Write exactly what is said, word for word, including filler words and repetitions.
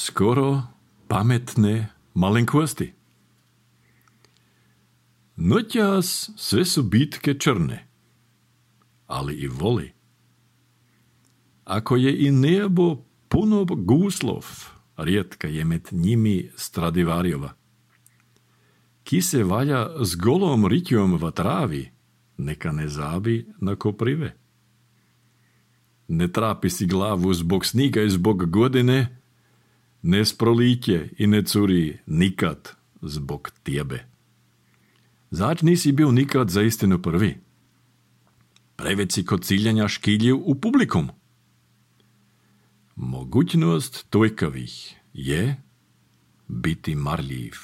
skoro pamätné malenkosti. Noťas sve sú bitke črne, ale i voli. Ako je i nebo puno gúslov, riedka je med nimi Stradivariova. Ki se valja s golom riťom v trávi, neka ne zábi na koprive. Ne trápi si glavu zbog sníga i zbog godine, ne sprolíte i ne curí nikad zbog tiebe. Začni si bil nikad za istinu prvi. Preveď si kod ciljanja škiljiv u publikum. Mogućnost tojkavih je biti marljiv.